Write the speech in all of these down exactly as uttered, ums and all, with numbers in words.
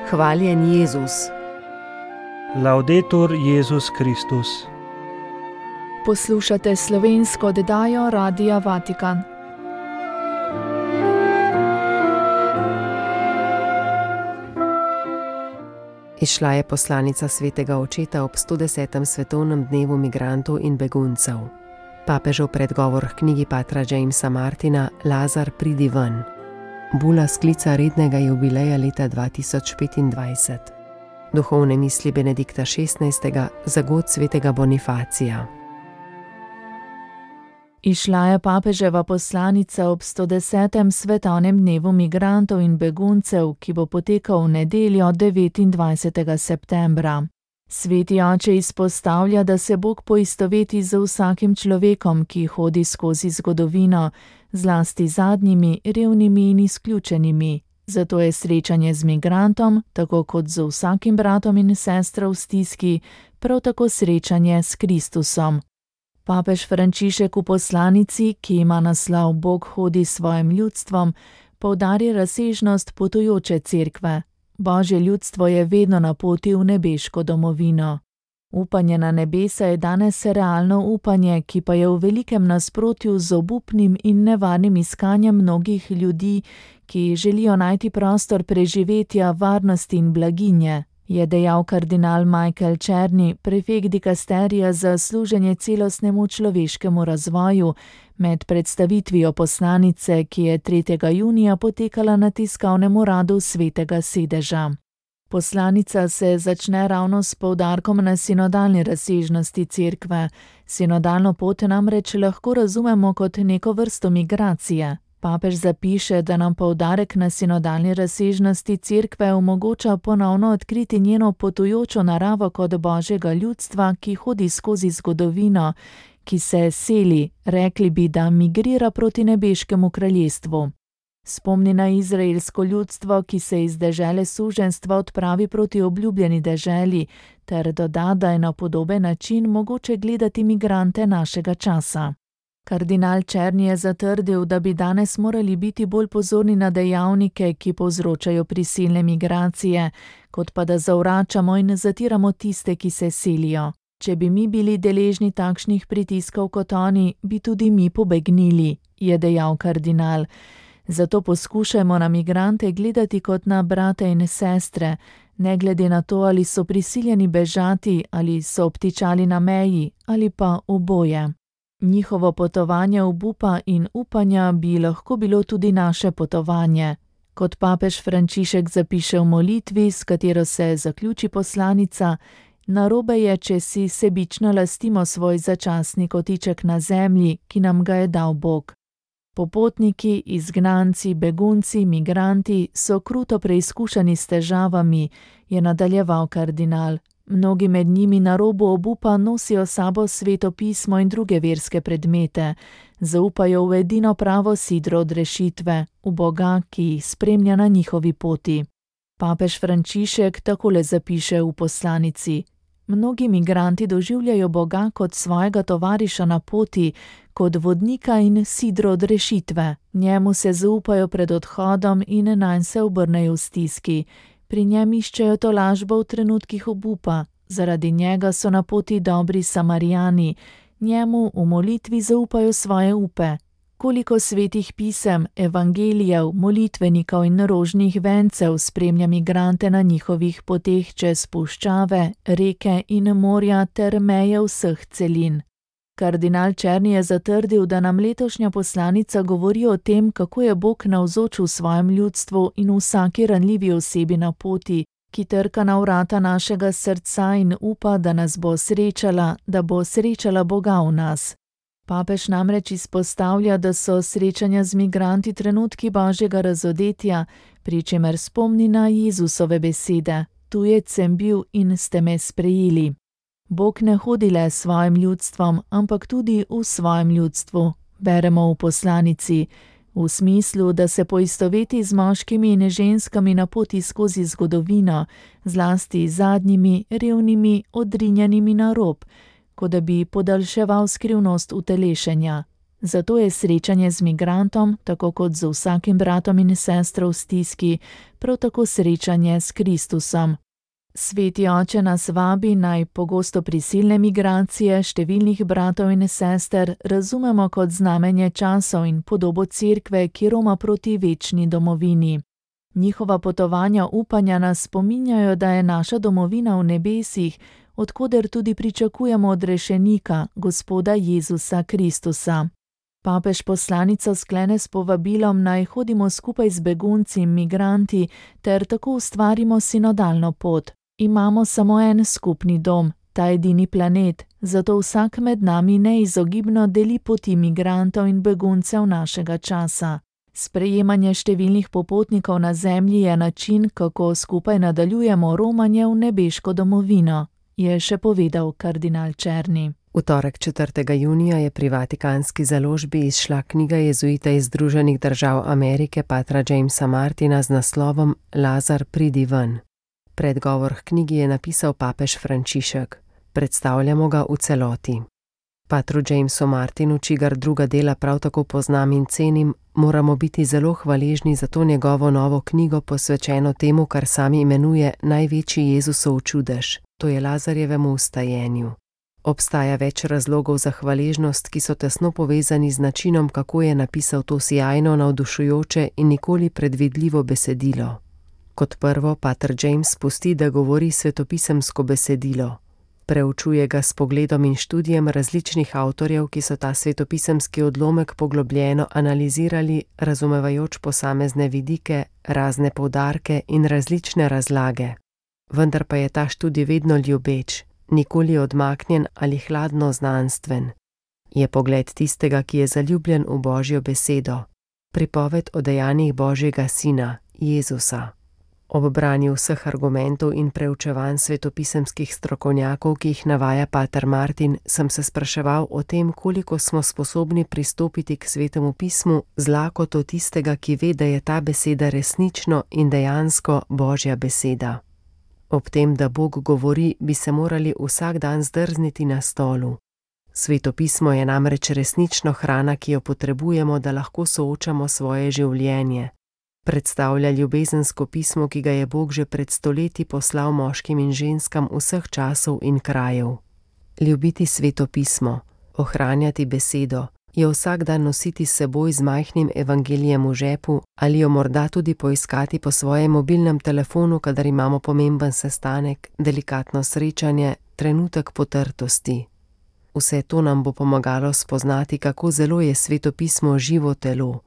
Hvaljen Jezus. Laudetur Jezus Kristus. Poslušate slovensko oddajo Radia Vatikan. Izšla je poslanica svetega očeta ob sto desetem svetovnem dnevu migrantov in beguncev. Papežev predgovor k knjigi patra Jamesa Martina Lazar, pridi ven. Bula sklica rednega jubileja leta dva tisoč petindvajset. Duhovne misli Benedikta šestnajstega za god svetega Bonifacija. Izšla je papeževa poslanica ob sto desetem svetovnem dnevu migrantov in beguncev, ki bo potekal v nedeljo devetindvajsetega septembra. Sveti oče izpostavlja, da se Bog poistoveti z vsakim človekom, ki hodi skozi zgodovino, zlasti zadnjimi, revnimi in izključenimi. Zato je srečanje z migrantom, tako kot z vsakim bratom in sestro v stiski, prav tako srečanje s Kristusom. Papež Frančišek v poslanici, ki ima naslov Bog hodi s svojim ljudstvom, poudari razsežnost potujoče cerkve. Božje ljudstvo je vedno na poti v nebeško domovino. Upanje na nebesa je danes realno upanje, ki pa je v velikem nasprotju z obupnim in nevarnim iskanjem mnogih ljudi, ki želijo najti prostor preživetja, varnosti in blaginje, je dejal kardinal Michael Czerny, prefekt dikasterija za služenje celostnemu človeškemu razvoju, med predstavitvijo poslanice, ki je tretjega junija potekala na tiskovnem uradu Svetega sedeža. Poslanica se začne ravno s poudarkom na sinodalni razsežnosti cerkve. Sinodalno pot namreč lahko razumemo kot neko vrsto migracije. Papež zapiše, da nam poudarek na sinodalni razsežnosti cerkve omogoča ponovno odkriti njeno potujočo naravo kot Božjega ljudstva, ki hodi skozi zgodovino, ki se seli, rekli bi, da migrira proti nebeškemu kraljestvu. Spomni na izraelsko ljudstvo, ki se iz dežele suženjstva odpravi proti obljubljeni deželi, ter doda, da je na podoben način mogoče gledati migrante našega časa. Kardinal Czerny je zatrdil, da bi danes morali biti bolj pozorni na dejavnike, ki povzročajo prisilne migracije, kot pa da zavračamo in zatiramo tiste, ki se selijo. Če bi mi bili deležni takšnih pritiskov kot oni, bi tudi mi pobegnili, je dejal kardinal. Zato poskušajmo na migrante gledati kot na brate in sestre, ne glede na to, ali so prisiljeni bežati, ali so obtičali na meji, ali pa oboje. Njihovo potovanje obupa in upanja bi lahko bilo tudi naše potovanje. Kot papež Frančišek zapiše v molitvi, s katero se zaključi poslanica, narobe je, če si sebično lastimo svoj začasni kotiček na zemlji, ki nam ga je dal Bog. Popotniki, izgnanci, begunci, migranti so kruto preizkušani s težavami, je nadaljeval kardinal. Mnogi med njimi na robu obupa nosijo sabo Sveto pismo in druge verske predmete, zaupajo v edino pravo sidro odrešitve, v Boga, ki jih spremlja na njihovi poti. Papež Frančišek takole zapiše v poslanici: Mnogi migranti doživljajo Boga kot svojega tovariša na poti, kot vodnika in sidro odrešitve. Njemu se zaupajo pred odhodom in nanj se obrnejo v stiski. Pri njem iščejo tolažbo v trenutkih obupa, zaradi njega so na poti dobri Samarijani, njemu v molitvi zaupajo svoje upe. Koliko svetih pisem, evangelijev, molitvenikov in rožnih vencev spremlja migrante na njihovih poteh čez puščave, reke in morja ter meje vseh celin. Kardinal Czerny je zatrdil, da nam letošnja poslanica govori o tem, kako je Bog navzoč v svojem ljudstvu in vsaki ranljivi osebi na poti, ki trka na vrata našega srca in upa, da nas bo srečala, da bo srečala Boga v nas. Papež namreč izpostavlja, da so srečanja z migranti trenutki Božjega razodetja, pri čemer spomni na Jezusove besede: Tujec sem bil in ste me sprejeli. Bog ne hodi le s svojim ljudstvom, ampak tudi v svojem ljudstvu, beremo v poslanici, v smislu, da se poistoveti z moškimi in ženskami na poti skozi zgodovino, zlasti zadnjimi, revnimi, odrinjenimi na rob, kot da bi podaljševal skrivnost utelešenja. Zato je srečanje z migrantom, tako kot z vsakim bratom in sestro v stiski, prav tako srečanje s Kristusom. Sveti oče nas vabi, naj pogosto prisilne migracije številnih bratov in sester razumemo kot znamenje časov in podobo cerkve, ki roma proti večni domovini. Njihova potovanja upanja nas spominjajo, da je naša domovina v nebesih, od koder tudi pričakujemo odrešenika, Gospoda Jezusa Kristusa. Papež poslanico sklene s povabilom, naj hodimo skupaj z begunci in migranti ter tako ustvarimo sinodalno pot. Imamo samo en skupni dom, ta edini planet, zato vsak med nami neizogibno deli poti migrantov in beguncev našega časa. Sprejemanje številnih popotnikov na zemlji je način, kako skupaj nadaljujemo romanje v nebeško domovino, je še povedal kardinal Černi. V torek četrtega junija je pri vatikanski založbi izšla knjiga jezuita iz Združenih držav Amerike patra Jamesa Martina z naslovom Lazar, pridi ven. Predgovor k knjigi je napisal papež Frančišek. Predstavljamo ga v celoti. Patru Jamesu Martinu, čigar druga dela prav tako poznam in cenim, moramo biti zelo hvaležni za to njegovo novo knjigo, posvečeno temu, kar sam imenuje največji Jezusov čudež, to je Lazarjevemu vstajenju. Obstaja več razlogov za hvaležnost, ki so tesno povezani z načinom, kako je napisal to sijajno, navdušujoče in nikoli predvidljivo besedilo. Kot prvo, pater James pusti, da govori svetopisemsko besedilo. Preučuje ga s pogledom in študijem različnih avtorjev, ki so ta svetopisemski odlomek poglobljeno analizirali, razumevajoč posamezne vidike, razne poudarke in različne razlage. Vendar pa je ta študij vedno ljubeč, nikoli odmaknjen ali hladno znanstven. Je pogled tistega, ki je zaljubljen v Božjo besedo. Pripoved o dejanjih Božjega Sina, Jezusa. Ob branju vseh argumentov in preučevanj svetopisemskih strokovnjakov, ki jih navaja pater Martin, sem se spraševal o tem, koliko smo sposobni pristopiti k svetemu pismu z lakoto tistega, ki ve, da je ta beseda resnično in dejansko Božja beseda. Ob tem, da Bog govori, bi se morali vsak dan zdrzniti na stolu. Svetopismo je namreč resnično hrana, ki jo potrebujemo, da lahko soočamo svoje življenje. Predstavlja ljubezensko pismo, ki ga je Bog že pred stoletji poslal moškim in ženskam vseh časov in krajev. Ljubiti svetopismo, ohranjati besedo, jo vsak dan nositi s seboj z majhnim evangelijem v žepu ali jo morda tudi poiskati po svojem mobilnem telefonu, kadar imamo pomemben sestanek, delikatno srečanje, trenutek potrtosti. Vse to nam bo pomagalo spoznati, kako zelo je svetopismo živo telo.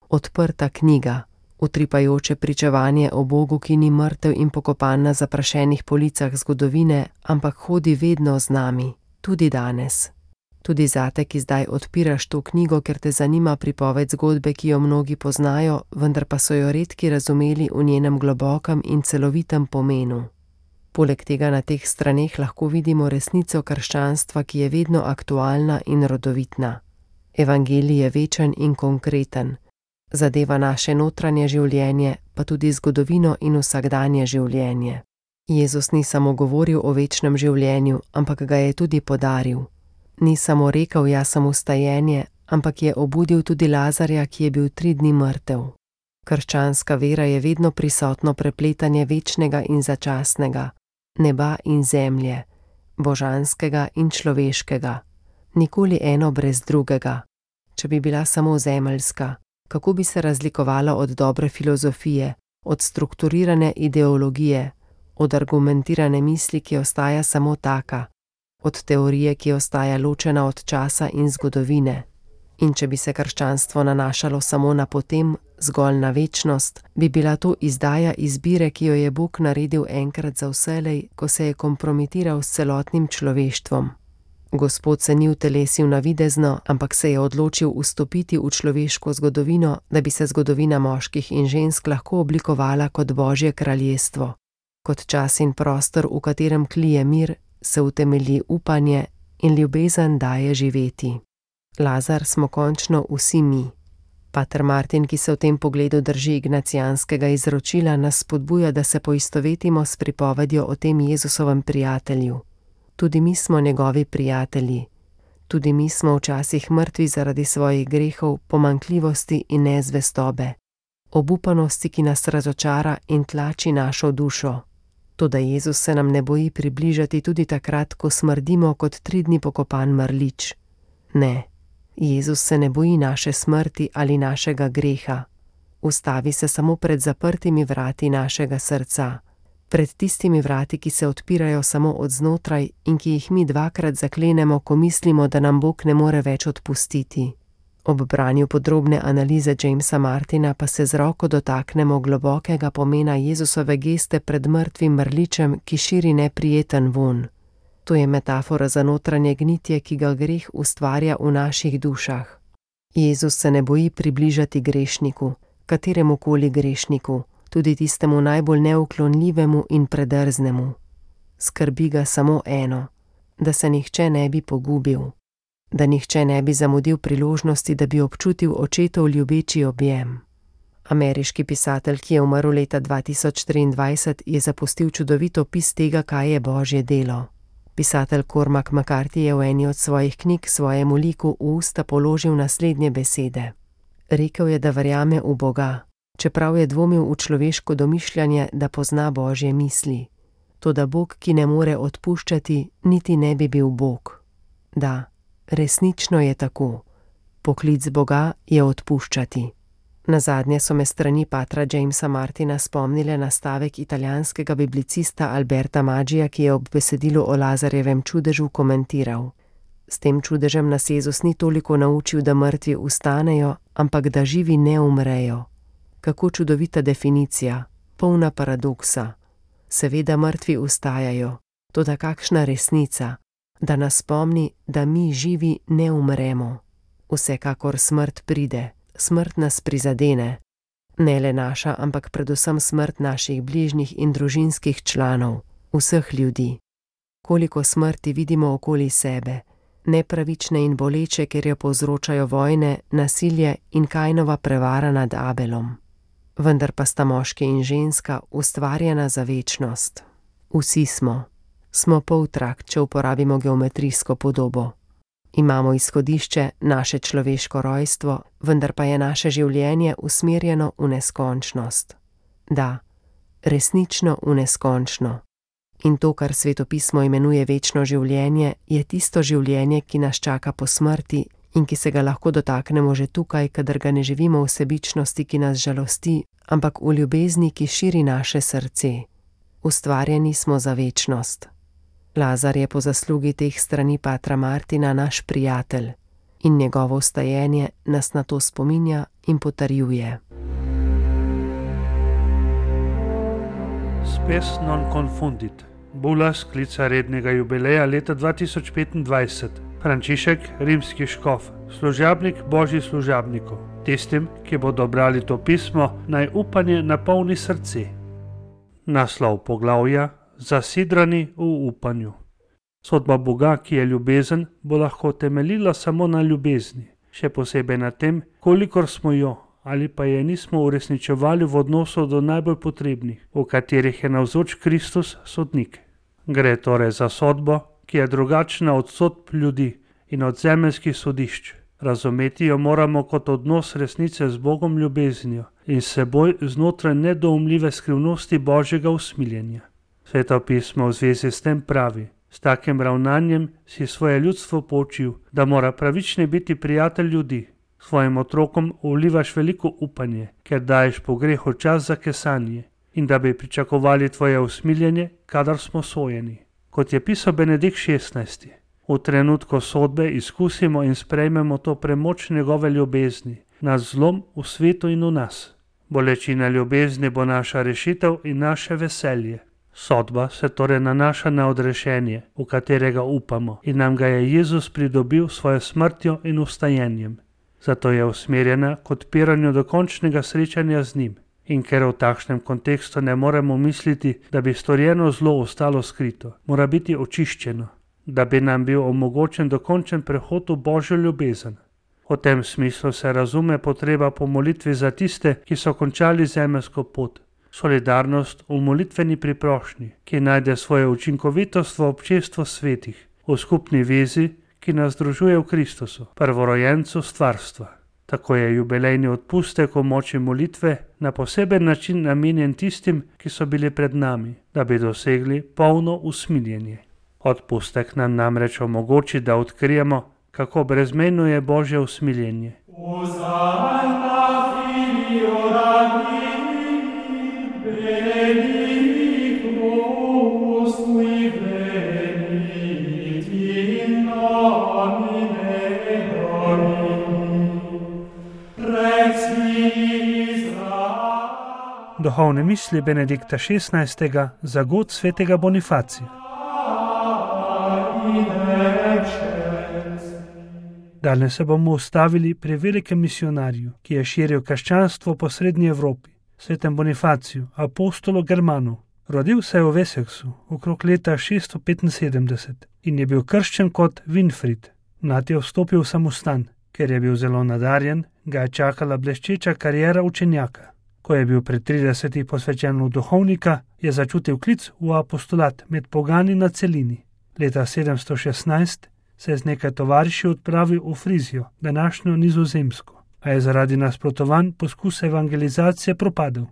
Odprta knjiga, utripajoče pričevanje o Bogu, ki ni mrtev in pokopan na zaprašenih policah zgodovine, ampak hodi vedno z nami, tudi danes. Tudi zate, ki zdaj odpiraš to knjigo, ker te zanima pripoved zgodbe, ki jo mnogi poznajo, vendar pa so jo redki razumeli v njenem globokem in celovitem pomenu. Poleg tega na teh straneh lahko vidimo resnico krščanstva, ki je vedno aktualna in rodovitna. Evangelij je večen in konkreten. Zadeva naše notranje življenje, pa tudi zgodovino in vsakdanje življenje. Jezus ni samo govoril o večnem življenju, ampak ga je tudi podaril. Ni samo rekel, jaz sem vstajenje, ampak je obudil tudi Lazarja, ki je bil tri dni mrtev. Krščanska vera je vedno prisotno prepletanje večnega in začasnega, neba in zemlje, božanskega in človeškega. Nikoli eno brez drugega. Če bi bila samo zemeljska, kako bi se razlikovala od dobre filozofije, od strukturirane ideologije, od argumentirane misli, ki ostaja samo taka, od teorije, ki ostaja ločena od časa in zgodovine. In če bi se krščanstvo nanašalo samo na potem, zgolj na večnost, bi bila to izdaja izbire, ki jo je Bog naredil enkrat za vselej, ko se je kompromitiral s celotnim človeštvom. Gospod se ni utelesil navidezno, ampak se je odločil vstopiti v človeško zgodovino, da bi se zgodovina moških in žensk lahko oblikovala kot Božje kraljestvo. Kot čas in prostor, v katerem klije mir, se utemelji upanje in ljubezen daje živeti. Lazar smo končno vsi mi. Pater Martin, ki se v tem pogledu drži ignacijanskega izročila, nas spodbuja, da se poistovetimo s pripovedjo o tem Jezusovem prijatelju. Tudi mi smo njegovi prijatelji. Tudi mi smo včasih mrtvi zaradi svojih grehov, pomanjkljivosti in nezvestobe, obupanosti, ki nas razočara in tlači našo dušo. Toda Jezus se nam ne boji približati tudi takrat, ko smrdimo kot tri dni pokopan mrlič. Ne, Jezus se ne boji naše smrti ali našega greha. Ustavi se samo pred zaprtimi vrati našega srca, pred tistimi vrati, ki se odpirajo samo od znotraj in ki jih mi dvakrat zaklenemo, ko mislimo, da nam Bog ne more več odpustiti. Ob branju podrobne analize Jamesa Martina pa se z roko dotaknemo globokega pomena Jezusove geste pred mrtvim mrličem, ki širi neprijeten vonj. To je metafora za notranje gnitje, ki ga greh ustvarja v naših dušah. Jezus se ne boji približati grešniku, kateremukoli grešniku, tudi tistemu najbolj neuklonljivemu in predrznemu. Skrbi ga samo eno, da se nihče ne bi pogubil, da nihče ne bi zamudil priložnosti, da bi občutil očetov ljubeči objem. Ameriški pisatelj, ki je umrl leta dva tisoč triindvajset, je zapustil čudovit opis tega, kaj je Božje delo. Pisatelj Cormac McCarthy je v eni od svojih knjig svojemu liku v usta položil naslednje besede. Rekel je, da verjame v Boga, čeprav je dvomil v človeško domišljanje, da pozna Božje misli. Toda Bog, ki ne more odpuščati, niti ne bi bil Bog. Da, resnično je tako. Poklic Boga je odpuščati. Nazadnje so me strani patra Jamesa Martina spomnile na stavek italijanskega biblicista Alberta Maggija, ki je ob besedilu o Lazarjevem čudežu komentiral. S tem čudežem nas Jezus ni toliko naučil, da mrtvi vstanejo, ampak da živi ne umrejo. Kako čudovita definicija, polna paradoksa. Seveda mrtvi vstajajo, toda kakšna resnica, da nas spomni, da mi živi ne umremo. Vsekakor smrt pride, smrt nas prizadene. Ne le naša, ampak predvsem smrt naših bližnjih in družinskih članov, vseh ljudi. Koliko smrti vidimo okoli sebe, nepravične in boleče, ker jo povzročajo vojne, nasilje in Kainova prevara nad Abelom. Vendar pa sta moški in ženska ustvarjena za večnost. Vsi smo. Smo poltrakt, če uporabimo geometrijsko podobo. Imamo izhodišče, naše človeško rojstvo, vendar pa je naše življenje usmerjeno v neskončnost. Da, resnično v neskončno. In to, kar svetopismo imenuje večno življenje, je tisto življenje, ki nas čaka po smrti in ki se ga lahko dotaknemo že tukaj, kadar ga ne živimo v sebičnosti, ki nas žalosti, ampak v ljubezni, ki širi naše srce. Ustvarjeni smo za večnost. Lazar je po zaslugi teh strani patra Martina naš prijatelj in njegovo vstajenje nas na to spominja in potrjuje. Spes non confundit. Bula sklica rednega jubileja leta dva tisoč petindvajset. Frančišek, rimski škof, služabnik božjih služabnikov. Tistim, ki bodo brali to pismo, naj upanje napolni srce. Naslov poglavja: Zasidrani v upanju. Sodba Boga, ki je ljubezen, bo lahko temeljila samo na ljubezni, še posebej na tem, kolikor smo jo ali pa je nismo uresničevali v odnosu do najbolj potrebnih, v katerih je navzoč Kristus sodnik. Gre torej za sodbo, ki je drugačna od sodb ljudi in od zemeljskih sodišč. Razumeti jo moramo kot odnos resnice z Bogom ljubeznijo in seboj znotraj nedoumljive skrivnosti Božjega usmiljenja. Sveto pismo v zvezi s tem pravi: s takim ravnanjem si svoje ljudstvo poučil, da mora pravični biti prijatelj ljudi. Svojim otrokom vlivaš veliko upanje, ker daješ po grehu čas za kesanje in da bi pričakovali tvoje usmiljenje, kadar smo sojeni. Kot je pisal Benedikt šestnajsti. V trenutku sodbe izkusimo in sprejmemo to premoč njegove ljubezni, naš zlom v svetu in v nas. Bolečina ljubezni bo naša rešitev in naše veselje. Sodba se torej nanaša na odrešenje, v katerega upamo in nam ga je Jezus pridobil svojo smrtjo in vstajenjem. Zato je usmerjena k odpiranju dokončnega srečanja z njim. In ker v takšnem kontekstu ne moremo misliti, da bi storjeno zlo ostalo skrito, mora biti očiščeno, da bi nam bil omogočen dokončen prehod v Božjo ljubezen. V tem smislu se razume potreba po molitvi za tiste, ki so končali zemeljsko pot, solidarnost v molitveni priprošnji, ki najde svojo učinkovitost v občestvu svetih, v skupni vezi, ki nas združuje v Kristusu, prvorojencu stvarstva. Tako je jubilejni odpustek v moči molitve na poseben način namenjen tistim, ki so bili pred nami, da bi dosegli polno usmiljenje. Odpustek nam namreč omogoči, da odkrijemo, kako brezmejno je Božje usmiljenje. Duhovne misli Benedikta šestnajstega za god svetega Bonifacija. Danes se bomo ustavili pri velikem misionarju, ki je širil krščanstvo po srednji Evropi, svetem Bonifaciju, apostolu Germanu. Rodil se je v Wessexu okrog leta šeststo petinsedemdeset in je bil krščen kot Winfried. Mlad je vstopil v samostan. Ker je bil zelo nadarjen, ga je čakala bleščeča kariera učenjaka. Ko je bil pri tridesetih posvečen v duhovnika, je začutil klic v apostolat med pogani na celini. Leta sedemsto šestnajst se je z nekaj tovariši odpravil v Frizijo, današnjo Nizozemsko, a je zaradi nasprotovanj poskus evangelizacije propadel.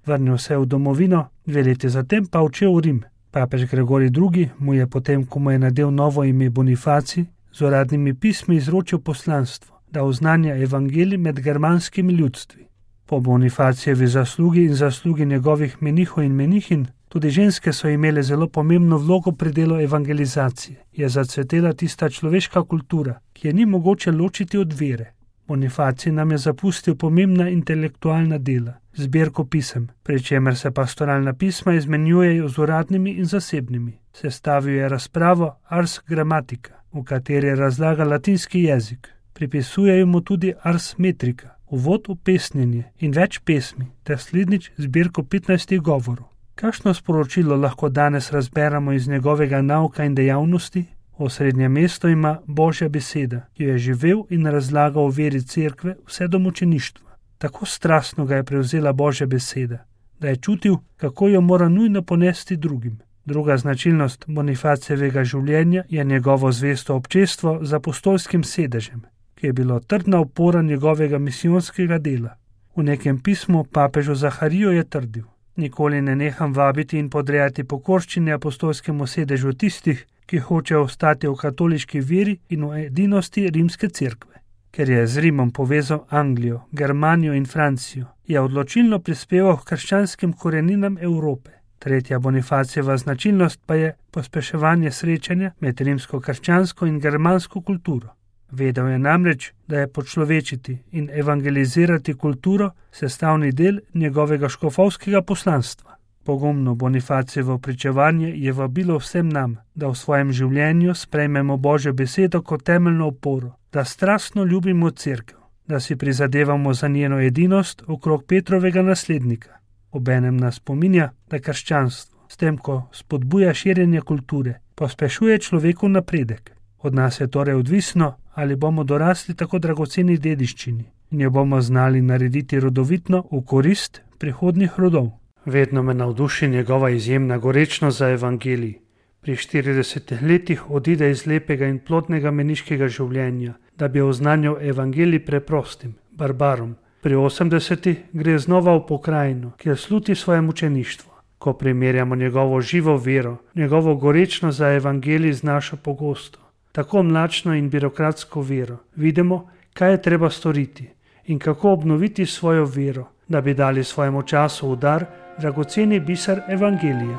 Vrnil se je v domovino, dve leti zatem pa odšel v Rim. Papež Gregorij drugi mu je potem, ko mu je nadel novo ime Bonifacij, z uradnimi pismi izročil poslanstvo, da oznanja evangelij med germanskimi ljudstvi. Po Bonifacijevi zaslugi in zaslugi njegovih menihov in menihinj, tudi ženske so imele zelo pomembno vlogo pri delu evangelizacije. Je zacvetela tista človeška kultura, ki je ni mogoče ločiti od vere. Bonifacij nam je zapustil pomembna intelektualna dela, zbirko pisem, pri čemer se pastoralna pisma izmenjujejo z uradnimi in zasebnimi. Sestavil je razpravo Ars Grammatica, v kateri razlaga latinski jezik. Pripisujejo mu tudi Ars Metrica, uvod v pesnjenje in več pesmi, ter slednjič zbirko petnajstih govorov. Kakšno sporočilo lahko danes razberemo iz njegovega nauka in dejavnosti? Osrednje mesto ima Božja beseda, ki jo je živel in razlagal o veri cerkve vse do mučeništva. Tako strastno ga je prevzela Božja beseda, da je čutil, kako jo mora nujno ponesti drugim. Druga značilnost Bonifacijevega življenja je njegovo zvesto občestvo z apostolskim sedežem, ki je bilo trdna opora njegovega misijonskega dela. V nekem pismu papežu Zahariju je trdil: nikoli ne neham vabiti in podrejati pokorščine apostolskemu sedežu tistih, ki hočejo ostati v katoliški veri in v edinosti rimske cerkve. Ker je z Rimom povezal Anglijo, Germanijo in Francijo, je odločilno prispeval k krščanskim koreninam Evrope. Tretja Bonifacijeva značilnost pa je pospeševanje srečanja med rimsko krščansko in germansko kulturo. Vedel je namreč, da je počlovečiti in evangelizirati kulturo sestavni del njegovega škofovskega poslanstva. Pogumno Bonifacijevo pričevanje je vabilo vsem nam, da v svojem življenju sprejmemo Božjo besedo kot temeljno oporo, da strastno ljubimo cerkev, da si prizadevamo za njeno edinost okrog Petrovega naslednika. Obenem nas spominja, da krščanstvo, s tem, ko spodbuja širjenje kulture, pospešuje človekov napredek. Od nas je torej odvisno, ali bomo dorasli tako dragoceni dediščini in jo bomo znali narediti rodovitno v korist prihodnjih rodov. Vedno me navduši njegova izjemna gorečnost za evangelij. Pri štiridesetih letih odide iz lepega in plodnega meniškega življenja, da bi oznanjal evangelij preprostim, barbarom. Pri osemdesetih gre znova v pokrajino, kjer sluti svoje mučeništvo. Ko primerjamo njegovo živo vero, njegovo gorečnost za evangelij z našo pogosto, tako mlačno in birokratsko vero, vidimo, kaj je treba storiti in kako obnoviti svojo vero, da bi dali svojemu času v dar dragoceni biser evangelija.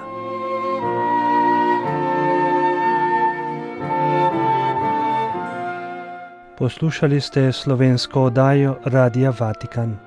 Poslušali ste slovensko oddajo Radia Vatikan.